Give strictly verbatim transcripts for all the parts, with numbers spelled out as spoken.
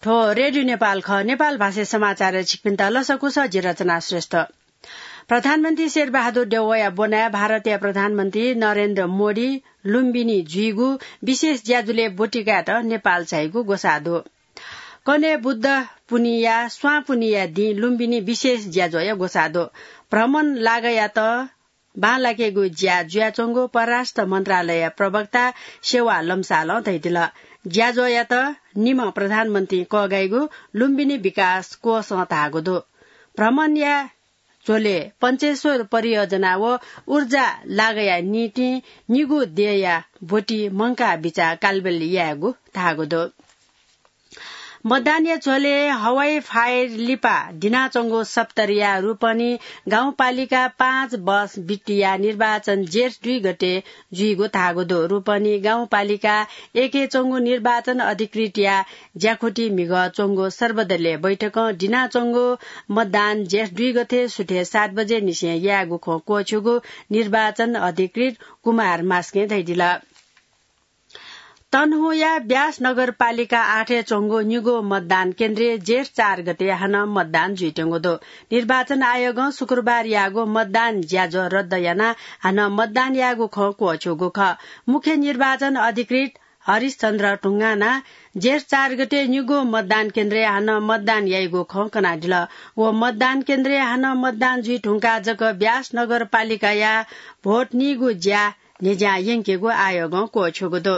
थ्व रेडियो नेपाल खः। नेपाल भाषा समाचार छिकपिन्त लसकुस, जि रचना श्रेष्ठ। प्रधानमन्त्री शेरबहादुर देउवाया ब्वनाय् भारतया प्रधानमन्त्री नरेन्द्र मोदी लुम्बिनी जुइगु विशेष ज्याझ्वलय् ब्वति कायेत नेपाल झाइगु ग्वसाः दु। कन्हय् बुद्ध पुन्हिया स्वां पुन्हिया दिं लुम्बिनी विशेष ज्याझ्वःया ग्वसाः दु। भ्रमण लागायात बांलाकेगु ज्या जुयाच्वंगु परराष्ट्र मन्त्रालय प्रवक्ता सेवा लम्सालं धयादिल। ज्याझ्वःयात निम्ह प्रधानमन्त्री कःघाइगु लुम्बिनी विकास कोषं धाःगु दु। भ्रमणया झ्वलय् पञ्चेश्वर परियोजना व ऊर्जा लागाया निंतिं निगू देय्‌या ब्वति मंकाः बिचाः कालबेल यायेगु धाःगु दु। मतदानया झ्वलय् हवाई फायर लिपा दिनाच्वंगु सप्तरीया रूपनी गाउँपालिका पाँच बस बिट्टिया निर्वाचन जेठ दुई गते जुइगु धाःगु दु। रूपनी गाउँपालिका एकय् च्वंगु निर्वाचन अधिकृतया ज्याखुति म्हिगः च्वंगु सर्वदलीय बैठकं दिनाच्वंगु मतदान जेठ दुई गते सुथय् सात बजे निसें यायेगु खँ क्वःछ्यूगु निर्वाचन अधिकृत कुमार मास्कें धयादिल। तनहुँया ब्यास नगरपालिका आठय् च्वंगु निगू मतदान केन्द्रय् जेठ चार गते हानं मतदान जुइत्यंगु दु। निर्वाचन आयोगं शुक्रबार याःगु मतदान ज्याझ्वः रद्द यानाः हानं मतदान यायेगु खँ क्वःछ्यूगु खः। मुख्य निर्वाचन अधिकृत हरिशचन्द्र ढुङ्गानां जेठ चार गते निगू मतदान केन्द्रय् हानं मतदान याइगु खँ कनादिल। व मतदान केन्द्रय् हानं मतदान जुइ धुंकाः जक ब्यास नगरपालिकाया भोट नीगु ज्या न्ह्यज्यां यंकेगु आयोगं क्वःछ्यूगु दु।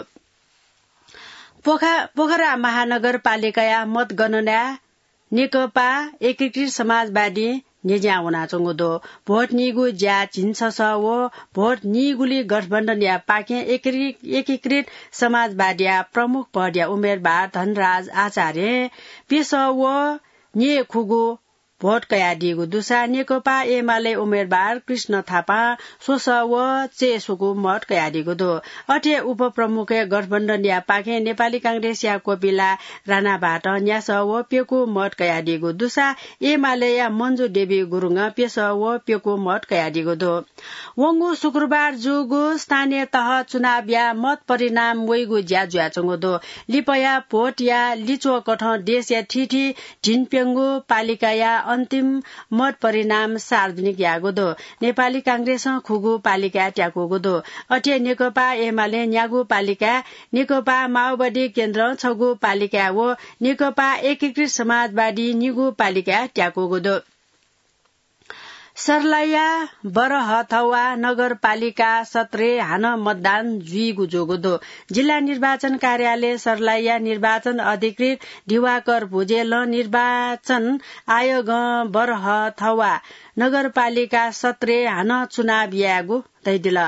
पोखा-, पोखरा महानगरपालिकाया मतगणनाय् नेकपा एकीकृत समाजवादी न्ह्यज्यां वनाच्वंगु दु। भोट नीगु ज्या झिंछसः व भोट नीगुली गठबन्धनया पाखें एकीकृ-, एकीकृत समाजवादीया प्रमुख पदया उम्मेदवार धनराज आचार्यं प्यसः व न्येखुगू भोट कयादीगु दुसा नेकपा एमाले उम्मेदवार कृष्ण थापां स्वसः व चय्‌सुगू मत कयादीगु दु। अथे उपप्रमुखय् गठबन्धनया पाखें नेपाली कांग्रेसया कोपिला राणाभातं न्यासः व प्यकू मत कयादीगु दुसा एमालेया मन्जु देवी गुरुङं प्यसः व प्यकू मत कयादीगु दु। वंगु शुक्रबार जूगु स्थानीय तह चुनावया मत परिणाम वइगु ज्या जुयाच्वंगु दु। लिपया भोटया लिच्वःकथं देशया थीथी धिनप्यंगू पालिकाया अन्तिम मत परिणाम सार्वजनिक याःगु दु। नेपाली कांग्रेसं खुगू पालिकाय् त्याकूगु दु। अथे नेकपा एमाले न्यागू पालिकाय्, नेकपा माओवादी केन्द्रं छगू पालिकाय् व नेकपा एकीकृत समाजवादी निगू पालिकाय् त्याकूगु दु। सर्लाहीया बरहथवा नगरपालिका सत्रय् हानं मतदान जुइगु जूगु दु। जिल्ला निर्वाचन कार्यालय सर्लाहीया निर्वाचन अधिकृत दिवाकर भुजेलं निर्वाचन आयोगं बरहथवा नगरपालिका सत्रय् हानं चुनाव यायेगु धयादिल।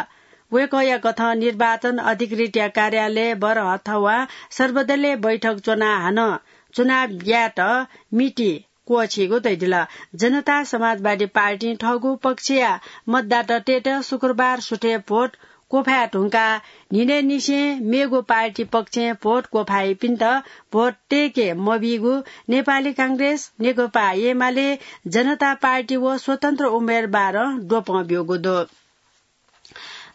वय्‌कःया कथं निर्वाचन अधिकृतया कार्यालय बरहथवां सर्वदलीय बैठक च्वनाः हानं चुनाव यायेत मिति क्वःछीगु धयादिल। जनता समाजवादी पार्टीं थःगु पक्षया मतदातातय्‌त शुक्रबार सुथय् भोट क्वफाये धुंकाः न्हिनय्‌निसें मेगु पार्टी पक्षय् भोट क्वफाइपिन्त भोट तय्‌के मबीगु नेपाली कांग्रेस, नेकपा एमाले, जनता पार्टी व स्वतन्त्र उम्मेदवारं द्वपं ब्यूगु दु।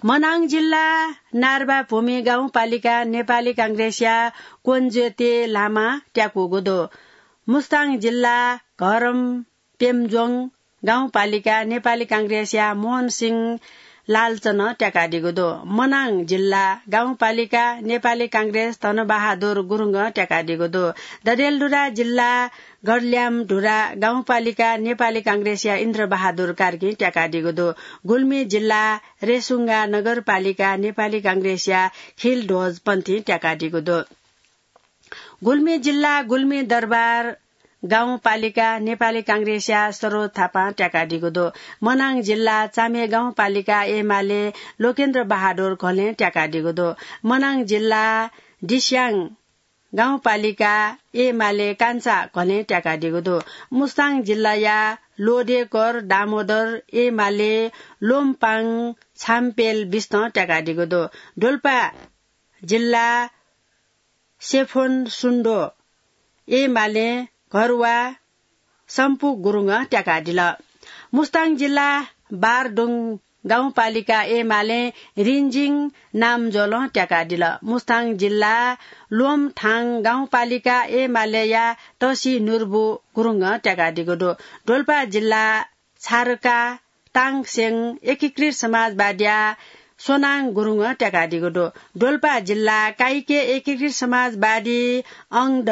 मनाङ जिल्ला नार्बाभूमि गाउँपालिका नेपाली कांग्रेसया क्वन्ज्योति लामा त्याकूगु दु। मुस्ताङ जिल्ला घरम पेम्जोङ गाउँपालिका नेपाली कांग्रेसया मोहन सिंह लालचनं त्याकादीगु दु। मनाङ जिल्ला गाउँपालिका नेपाली कांग्रेस धनबहादुर गुरुङं त्याकादीगु दु। डडेलधुरा जिल्ला गडल्याम धुरा गाउँपालिका नेपाली कांग्रेसया इन्द्रबहादुर कार्कीं त्याकादीगु दु। गुल्मी जिल्ला रेसुङ्गा नगरपालिका नेपाली कांग्रेसया खिलध्वज पन्थीं त्याकादीगु दु। गुल्मी जिल्ला गुल्मी दरबार गाउँपालिका नेपाली कांग्रेसया सरोज थापां त्याकादीगु दु। मनाङ जिल्ला चामे गाउँपालिका एमाले लोकेन्द्र बहादुर घलें त्याकादीगु दु। मनाङ जिल्ला दिस्याङ गाउँपालिका एमाले कान्छा घलें त्याकादीगु दु। मुस्ताङ जिल्लाया लोधेकर दामोदर एमाले लोमपाङ छाम्पेल बिस्तं त्याकादीगु दु। डोल्पा जिल्ला सेफोन सुन्डो एमाले घरुवा सम्पु गुरुङं त्याकादिल। मुस्ताङ जिल्ला बारदुङ गाउँपालिका एमालें रिन्जिङ नामज्वलं त्याकादिल। मुस्ताङ जिल्ला लोमथाङ गाउँपालिका एमालेया तसी नुर्बु गुरुङं त्याकादीगु दु। डोल्पा जिल्ला छारका ताङसेङ एकीकृत समाजवादीया सोनाङ गुरुङं त्याकादीगु दु। डोल्पा जिल्ला काइके एकीकृत समाजवादी अंगद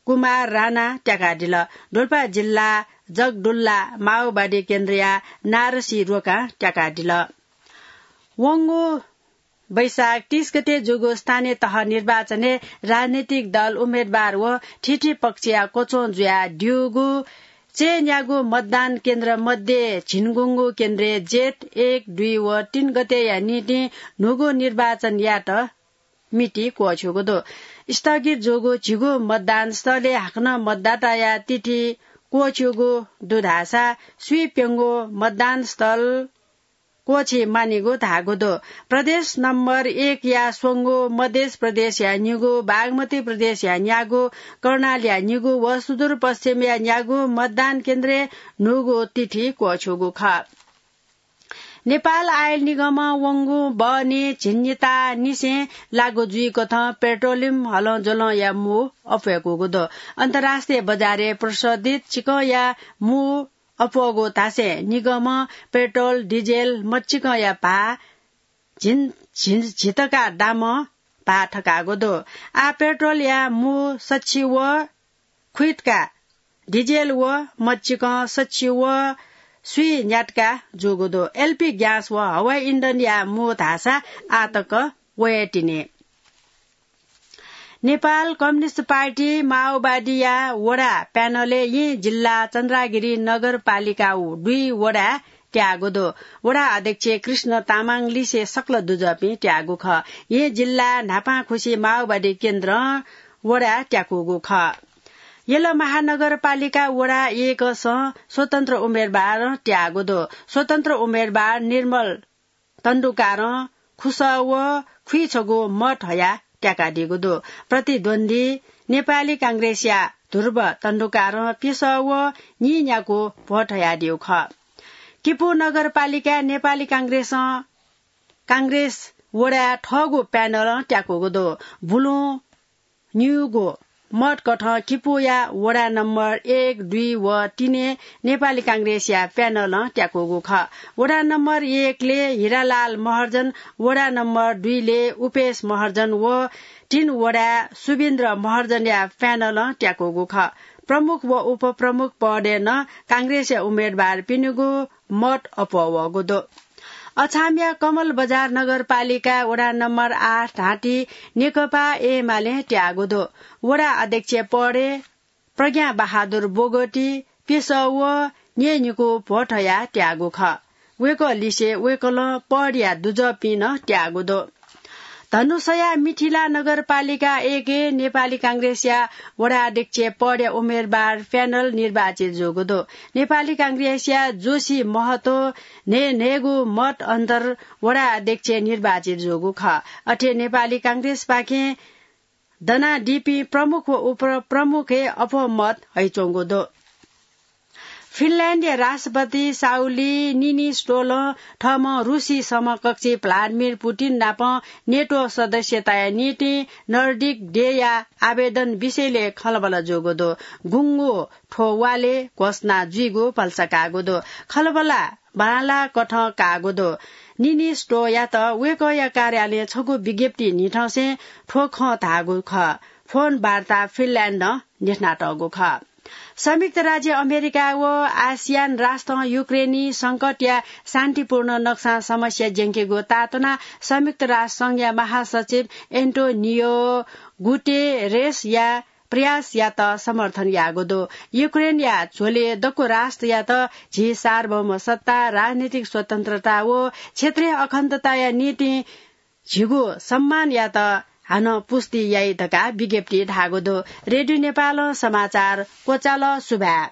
कुमार राणा त्याकादिल। डोल्पा जिल्ला जगडुल्ला माओवादी केन्द्रया नारसी रोकां त्याकादिल। वंगु वैशाख तीस गते जूगु स्थानीय तह निर्वाचनय् राजनैतिक दल, उम्मेदवार व थीथी पक्षया क्वच्वं जुयाः द्यूगु चय्‌न्यागू मतदान केन्द्र मध्ये झिंगुंगू केन्द्रय् जेठ एक, दुई व तीन गतेया निंतिं न्हूगु निर्वाचन यायेत मिति क्वःछ्यूगु दु। स्थगित जूगु झिगू मतदान स्थलय् हाकनं मतदाताया तिथि क्वःछ्यूगु दु धाःसा स्वीप्यंगू मतदान स्थल क्वःछी मानिगु धाःगु दु। प्रदेश नम्बर एकया स्वंगू, मधेस प्रदेशया निगू, बागमती प्रदेशया न्यागू, कर्णालया निगू व सुदूरपश्चिमया न्यागू मतदान केन्द्रय् न्हूगु तिथि क्वःछ्यूगु खः। नेपाल आयल निगमं वंगु बहनी झिंनिता निसें लागू जुइकथं पेट्रोलियम हलंज्वलंया मू अप्वय्‌कूगु दु। अन्तर्राष्ट्रिय बजारय् प्रशोधित चिकंया मू अप्वःगु धासें निगमं पेट्रोल, डिजेल, मच्चिकंया भाः झिन, झिन, झितका दामं भाः थकाःगु दु। आः पेट्रोलया मू सच्छि व खुइतका डिजेल व मच्चिकं सच्छि व स्वी न्यातका जूगु दु। एलपी ग्यास व हवाई इन्धनया मू धाःसा आः तक वये तिनि। नेपाल कम्युनिस्ट पार्टी माओवादीया वडा प्यानलय् येँ जिल्ला चन्द्रागिरी नगरपालिका दुई वडा त्याःगु दु। वडा अध्यक्ष कृष्ण तामाङ लिसे सकल दुजःपिं त्याःगु खः। येँ जिल्ला न्हापांखुसी माओवादी केन्द्रं वडा त्याकूगु खः। यल महानगरपालिका वडा एकसं स्वतन्त्र उम्मेदवारं त्याःगु दु। स्वतन्त्र उम्मेदवार निर्मल तण्डुकारं खुसः व खुइछगू मत हयाः त्याकादीगु दु। प्रतिद्वन्द्वी नेपाली कांग्रेसया ध्रुव तण्डुकारं प्यसः व नीन्यागू भोट हयादीगु खः। किपू नगरपालिकाय् नेपाली कांग्रेसं, कांग्रेस वडाय् थःगु प्यानलं त्याकूगु दु। बुलुं न्यूगु मत कथं किपूया वडा नम्बर एक, दुई व तीनय् नेपाली कांग्रेसया प्यानलं त्याकूगु खः। वडा नम्बर एकले हिरालाल महर्जन, वडा नम्बर दुईले उपेश महर्जन व तीन वडाय् सुबिन्द्र महर्जनया प्यानलं त्याकूगु खः। प्रमुख व उपप्रमुख पदय् नं कांग्रेसया उम्मेदवारपिनिगु मत अप्वः वःगु दु। अछामया कमल बजार नगरपालिका वडा नम्बर आठ धाःति नेकपा एमालें त्याःगु दु। वडा अध्यक्ष पदय् प्रज्ञा बहादुर बोगटी प्यसः व न्यय्‌न्हिगू भोट हयाः त्याःगु खः। वय्‌कः लिसे वय्‌कलं पदया दुजःपिं नं त्याःगु दु। धनुषाया मिथिला नगरपालिका एकय् नेपाली कांग्रेसया वडा अध्यक्ष पदया उम्मेदवार प्यानल निर्वाचित जूगु दु। नेपाली कांग्रेसया जोशी महतो न्हय् न्हय्‌गू मत अन्तर वडा अध्यक्ष निर्वाचित जूगु खः। अथे नेपाली कांग्रेसपाखें दनादीपिं प्रमुख व उपप्रमुखय् अप्वः मत हइच्वंगु दु। फिनल्याण्डया राष्ट्रपति साउली निनिस्टोलं थःम्हं रूसी समकक्षी भ्लादिमिर पुतिन नाप नेटो सदस्यताया निंतिं नर्डिक देय्‌या आवेदन विषयलय् खँल्हाबल्हा जूगु दु। गुंगू थ्व वालय् घोषणा जुइगु भलसा काःगु दु। खँल्हाबल्हा बांलाः कथं काःगु दु। निनिस्टोयात वय्‌कःया कार्यालयं छगू विज्ञप्ति न्हिथंसें थ्व खँ धाःगु खः। फोन वार्ता फिनल्याण्डं न्ह्यथनातःगु खः। संयुक्त राज्य अमेरिका व आसियान राष्ट्रं युक्रेनी संकटया शान्तिपूर्ण नक्सां समस्या ज्यंकेगु ताःतुनाः संयुक्त राष्ट्र संघया महासचिव एन्टोनियो गुटेरेसया प्रयासयात समर्थन याःगु दु। युक्रेनया झ्वलय् दक्व राष्ट्रयात झी सार्वभौम सत्ता, राजनीतिक स्वतन्त्रता व क्षेत्रीय अखण्डताया निंतिं झीगु सम्मानयात हानं पुष्टि याइ धकाः विज्ञप्तिइ धाःगु दु। रेडियो नेपालं समाचार क्वचाल। सुभाय्।